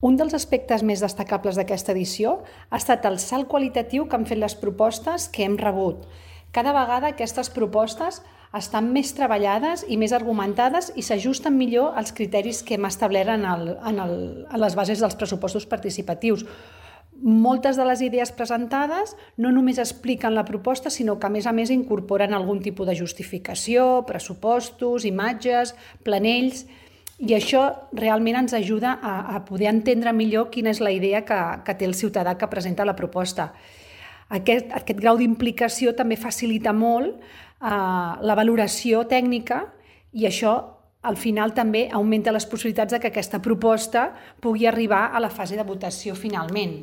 Un dels aspectes més destacables d'aquesta edició ha estat el salt qualitatiu que han fet les propostes que hem rebut. Cada vegada aquestes propostes estan més treballades i més argumentades i s'ajusten millor als criteris que hem establert en les bases dels pressupostos participatius. Moltes de les idees presentades no només expliquen la proposta, sinó que a més incorporen algun tipus de justificació, pressupostos, imatges, planells, i això realment ens ajuda a poder entendre millor quina és la idea que té el ciutadà que presenta la proposta. Aquest grau d'implicació també facilita molt la valoració tècnica i això al final també augmenta les possibilitats de que aquesta proposta pugui arribar a la fase de votació finalment.